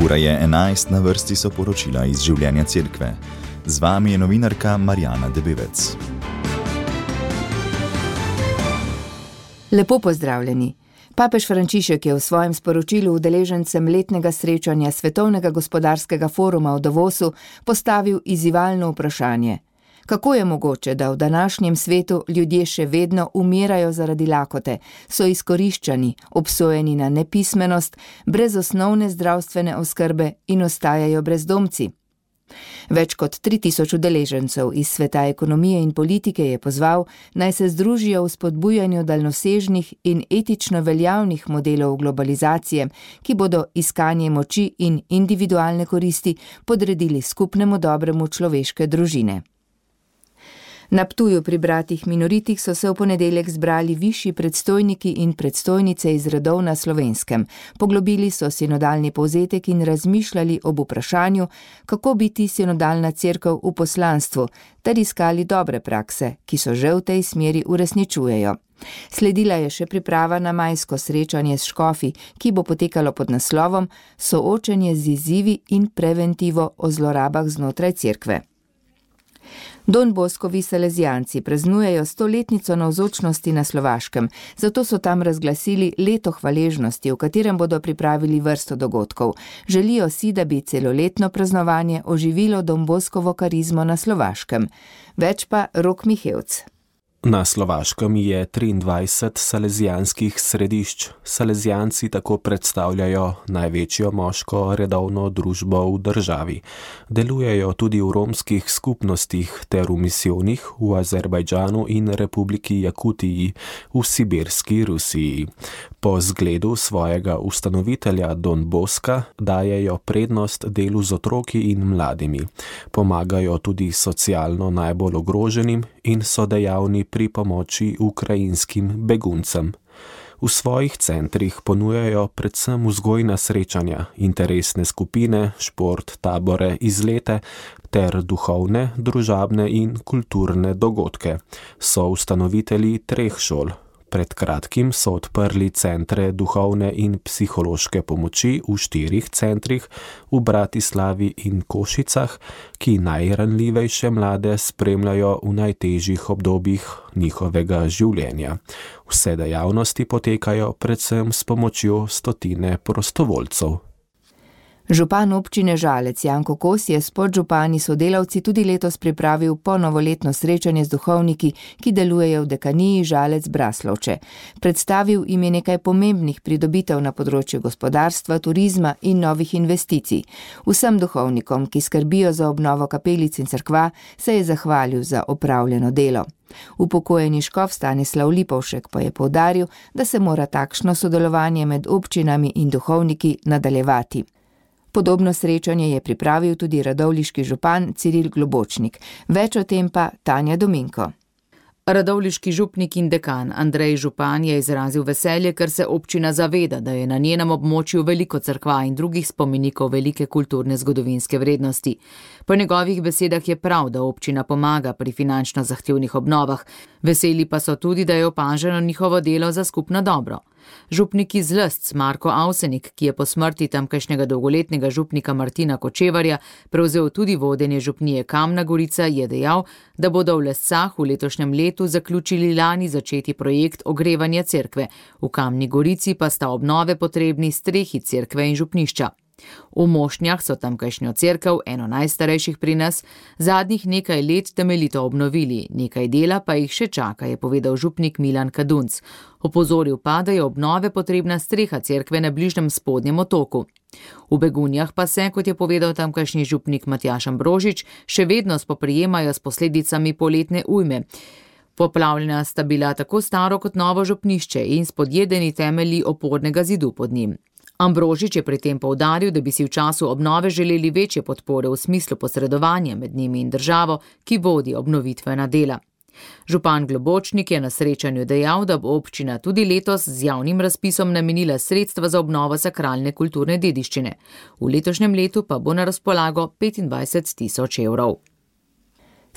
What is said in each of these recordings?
Ura je 11, na vrsti so poročila iz življenja cerkve. Z vami je novinarka Marjana Debevec. Lepo pozdravljeni. Papež Frančišek je v svojem sporočilu udeležencem letnega srečanja Svetovnega gospodarskega foruma v Davosu postavil izzivalno vprašanje. Kako je mogoče, da v današnjem svetu ljudje še vedno umirajo zaradi lakote, so izkoriščani, obsojeni na nepismenost, brez osnovne zdravstvene oskrbe in ostajajo brezdomci? Več kot 3000 udeležencev iz sveta ekonomije in politike je pozval, naj se združijo v spodbujanju daljnosežnih in etično veljavnih modelov globalizacije, ki bodo iskanje moči in individualne koristi podredili skupnemu dobremu človeške družine. Na Ptuju pri bratih Minoritih so se v ponedeljek zbrali višji predstojniki in predstojnice iz redov na Slovenskem. Poglobili so sinodalni povzetek in razmišljali ob vprašanju, kako biti sinodalna cerkev v poslanstvu, ter iskali dobre prakse, ki so že v tej smeri uresničujejo. Sledila je še priprava na majsko srečanje s škofi, ki bo potekalo pod naslovom Soočenje z izzivi in preventivo o zlorabah znotraj cerkve. Don Boskovi salezijanci praznujejo 100-letnico navzočnosti na Slovaškem, zato so tam razglasili leto hvaležnosti, v katerem bodo pripravili vrsto dogodkov. Želijo si, da bi celoletno praznovanje oživilo Don Boskovo karizmo na Slovaškem. Več pa Rok Mihevc. Na Slovaškem je 23 salezijanskih središč. Salezijanci tako predstavljajo največjo moško redovno družbo v državi. Delujejo tudi v romskih skupnostih ter v misijonih v Azerbajdžanu in Republiki Jakutiji v sibirski Rusiji. Po zgledu svojega ustanovitelja Don Boska dajejo prednost delu z otroki in mladimi. Pomagajo tudi socialno najbolj ogroženim in so dejavni pri pomoči ukrajinskim beguncem. V svojih centrih ponujajo predvsem vzgojna srečanja, interesne skupine, šport, tabore, izlete ter duhovne, družabne in kulturne dogodke. So ustanovitelji 3 šol. Pred kratkim so odprli centre duhovne in psihološke pomoči v 4 centrih v Bratislavi in Košicah, ki najranljivejše mlade spremljajo v najtežjih obdobjih njihovega življenja. Vse dejavnosti potekajo predvsem s pomočjo 100 prostovoljcev. Župan občine Žalec Janko Kos je s podžupani sodelavci tudi letos pripravil ponovoletno srečanje z duhovniki, ki delujejo v dekaniji Žalec Braslovče. Predstavil jim je nekaj pomembnih pridobitev na področju gospodarstva, turizma in novih investicij. Vsem duhovnikom, ki skrbijo za obnovo kapelic in cerkva, se je zahvalil za opravljeno delo. Upokojeni škof Stanislav Lipovšek pa je poudaril, da se mora takšno sodelovanje med občinami in duhovniki nadaljevati. Podobno srečanje je pripravil tudi radovljiški župan Ciril Globočnik. Več o tem pa Tanja Dominko. Radovljiški župnik in dekan Andrej Župan je izrazil veselje, ker se občina zaveda, da je na njenem območju veliko cerkva in drugih spomenikov velike kulturne zgodovinske vrednosti. Po njegovih besedah je prav, da občina pomaga pri finančno zahtevnih obnovah. Veseli pa so tudi, da je opaženo njihovo delo za skupno dobro. Župnik iz Lstc Marko Avsenik, ki je po smrti tamkajšnjega dolgoletnega župnika Martina Kočevarja prevzel tudi vodenje župnije Kamna Gorica, je dejal, da bodo v Lescah v letošnjem letu zaključili lani začeti projekt ogrevanja cerkve. V Kamni Gorici pa sta obnove potrebni strehi cerkve in župnišča. V Mošnjah so tamkajšnjo cerkev, eno najstarejših pri nas, zadnjih nekaj let temeljito obnovili, nekaj dela pa jih še čaka, je povedal župnik Milan Kadunc. Opozoril pa, da je obnove potrebna streha cerkve na bližnjem spodnjem otoku. V Begunjah pa se, kot je povedal tamkajšnji župnik Matjaž Ambrožič, še vedno spoprijemajo s posledicami poletne ujme. Poplavljena sta bila tako staro kot novo župnišče in spodjedeni temelji opornega zidu pod njim. Ambrožič je pri tem poudaril, da bi si v času obnove želeli večje podpore v smislu posredovanja med njimi in državo, ki vodi obnovitvena dela. Župan Globočnik je na srečanju dejal, da bo občina tudi letos z javnim razpisom namenila sredstva za obnovo sakralne kulturne dediščine. V letošnjem letu pa bo na razpolago 25 000 evrov.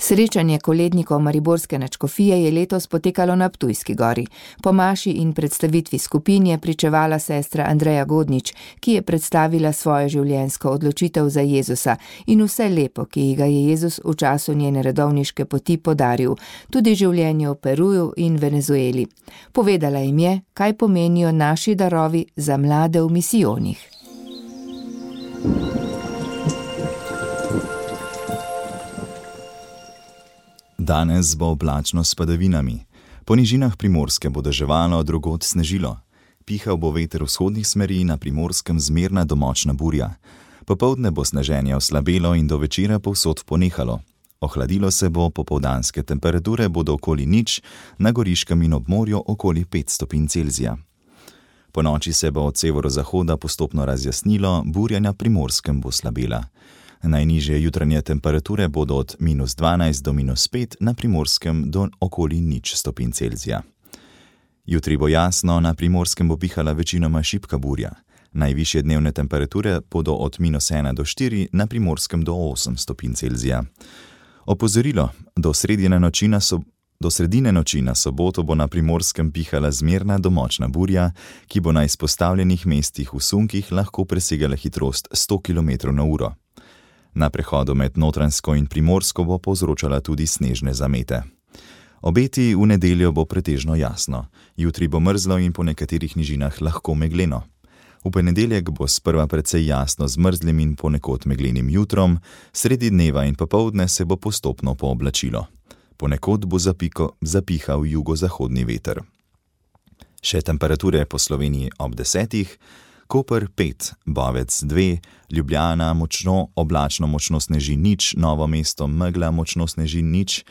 Srečanje kolednikov mariborske nadškofije je letos potekalo na Ptujski gori. Po maši in predstavitvi skupin je pričevala sestra Andreja Godnič, ki je predstavila svojo življenjsko odločitev za Jezusa in vse lepo, ki ji ga je Jezus v času njene redovniške poti podaril, tudi življenje v Peruju in Venezueli. Povedala jim je, kaj pomenijo naši darovi za mlade v misijonih. Danes bo oblačno s padavinami. Po nižinah Primorske bo deževalo, drugod snežilo. Pihal bo veter vzhodnih smeri, na Primorskem zmerna do močna burja. Popoldne bo sneženje oslabelo in do večera povsod ponehalo. Ohladilo se bo, popoldanske temperature bodo okoli 0, na Goriškem in ob morju okoli 5 stopinj Celzija. Po noči se bo od severozahoda postopno razjasnilo, burja na Primorskem bo slabela. Najnižje jutranje temperature bodo od -12 do -5, na Primorskem do okoli 0 stopinj Celzija. Jutri bo jasno, na Primorskem bo pihala večinoma šibka burja. Najvišje dnevne temperature bodo od -1 do 4, na Primorskem do 8 stopinj Celzija. Opozorilo, do sredine noči na soboto bo na Primorskem pihala zmerna do močna burja, ki bo na izpostavljenih mestih v sunkih lahko presegala hitrost 100 km/h. Na prehodu med Notranjsko in Primorsko bo povzročala tudi snežne zamete. Obeti v nedeljo bo pretežno jasno. Jutri bo mrzlo in po nekaterih nižinah lahko megleno. V ponedeljek bo sprva precej jasno z mrzlim in ponekod meglenim jutrom, sredi dneva in popoldne se bo postopno pooblačilo. Ponekod bo zapihal jugozahodni veter. Še temperature po Sloveniji ob 10. Koper 5, Bovec 2, Ljubljana močno, oblačno močno sneži 0, Novo mesto megla močno sneži 0,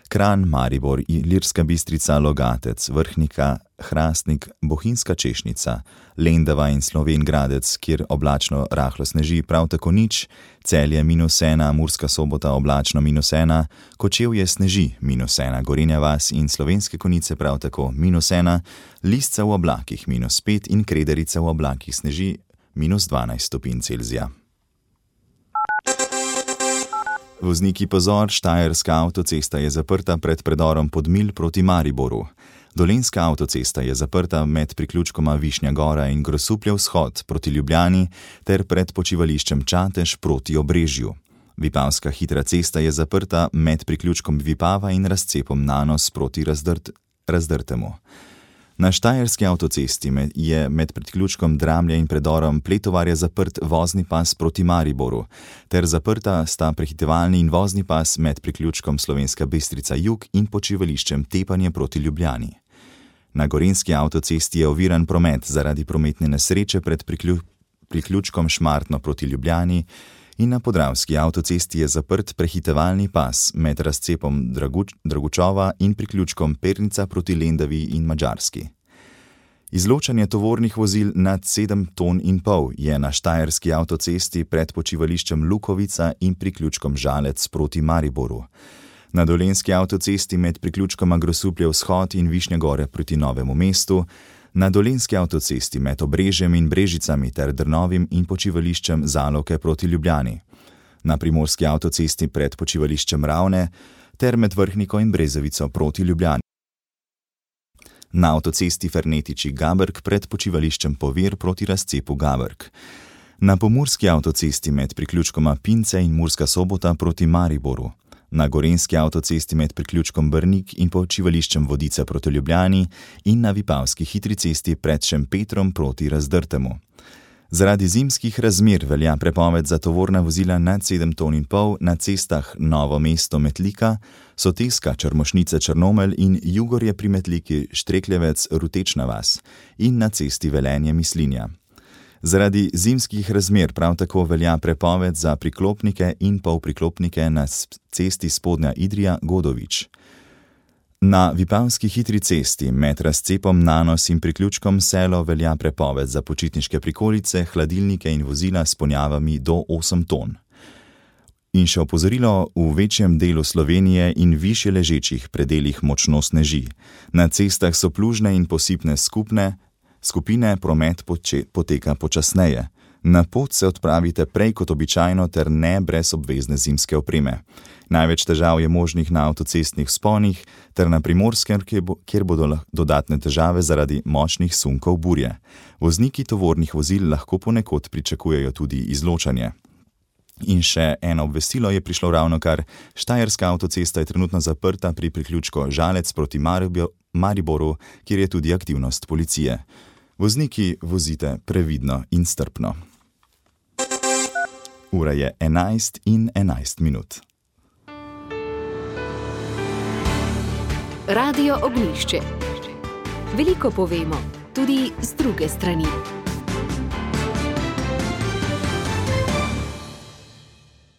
Kranj, Maribor, Ilirska Bistrica, Logatec, Vrhnika, Hrastnik, Bohinjska Češnica, Lendava in Slovenj Gradec, kjer oblačno rahlo sneži prav tako 0, Celje -1, Murska Sobota oblačno -1, Kočevje sneži -1, Gorenja vas in Slovenske Konjice prav tako -1, Lisca v oblakih -5 in Krederica v oblakih sneži -12 stopinj Celzija. Vozniki pozor, Štajerska avtocesta je zaprta pred predorom Podmilj proti Mariboru. Dolenjska avtocesta je zaprta med priključkoma Višnja Gora in Grosupljev vzhod proti Ljubljani ter pred počivališčem Čatež proti Obrežju. Vipavska hitra cesta je zaprta med priključkom Vipava in razcepom Nanos proti Razdrtemu. Na Štajerski avtocesti je med priključkom Dramlja in predorom Pletovarja zaprt vozni pas proti Mariboru, ter zaprta sta prehitevalni in vozni pas med priključkom Slovenska Bistrica Jug in počivališčem Tepanje proti Ljubljani. Na Gorenjski avtocesti je oviran promet zaradi prometne nesreče pred priključkom Šmartno proti Ljubljani in na Podravski avtocesti je zaprt prehitevalni pas med razcepom Dragučova in priključkom Pernica proti Lendavi in Madžarski. Izločanje tovornih vozil nad 7,5 ton je na Štajerski avtocesti pred počivališčem Lukovica in priključkom Žalec proti Mariboru. Na Dolenjski avtocesti med priključkoma Grosupljev vzhod in Višnje Gore proti Novemu mestu, na Dolenjski avtocesti med Obrežjem in Brežicami ter Drnovim in počivališčem Zaloke proti Ljubljani, na Primorski avtocesti pred počivališčem Ravne ter med Vrhniko in Brezovico proti Ljubljani, na avtocesti Fernetiči-Gabrk pred počivališčem Povir proti razcepu Gabrk, na Pomurski avtocesti med priključkoma Pince in Murska Sobota proti Mariboru, na Gorenjski avtocesti med priključkom Brnik in počivališčem Vodice proti Ljubljani in na Vipavski hitri cesti pred Šempetrom proti Razdrtemu. Zaradi zimskih razmer velja prepoved za tovorna vozila nad 7,5 ton na cestah Novo mesto Metlika, Soteska Črmošnice Črnomelj in Jugorje pri Metliki Štrekljevec Rutečna vas in na cesti Velenje Mislinja. Zaradi zimskih razmer prav tako velja prepoved za priklopnike in polpriklopnike na cesti Spodnja Idrija Godovič. Na Vipavski hitri cesti med razcepom Nanos in priključkom Selo velja prepoved za počitniške prikolice, hladilnike in vozila s ponjavami do 8 ton. In še opozorilo, v večjem delu Slovenije in višje ležečih predelih močno sneži. Na cestah so plužne in posipne skupine, promet poteka počasneje. Na pot se odpravite prej kot običajno ter ne brez obvezne zimske opreme. Največ težav je možnih na avtocestnih vzponih ter na Primorskem, kjer bodo dodatne težave zaradi močnih sunkov burje. Vozniki tovornih vozil lahko ponekod pričakujejo tudi izločanje. In še eno obvestilo je prišlo ravnokar. Štajerska avtocesta je trenutno zaprta pri priključku Žalec proti Mariboru, kjer je tudi aktivnost policije. Vozniki, vozite previdno in strpno. Ura je 11:11. Radio Ognjišče. Veliko povemo, tudi z druge strani.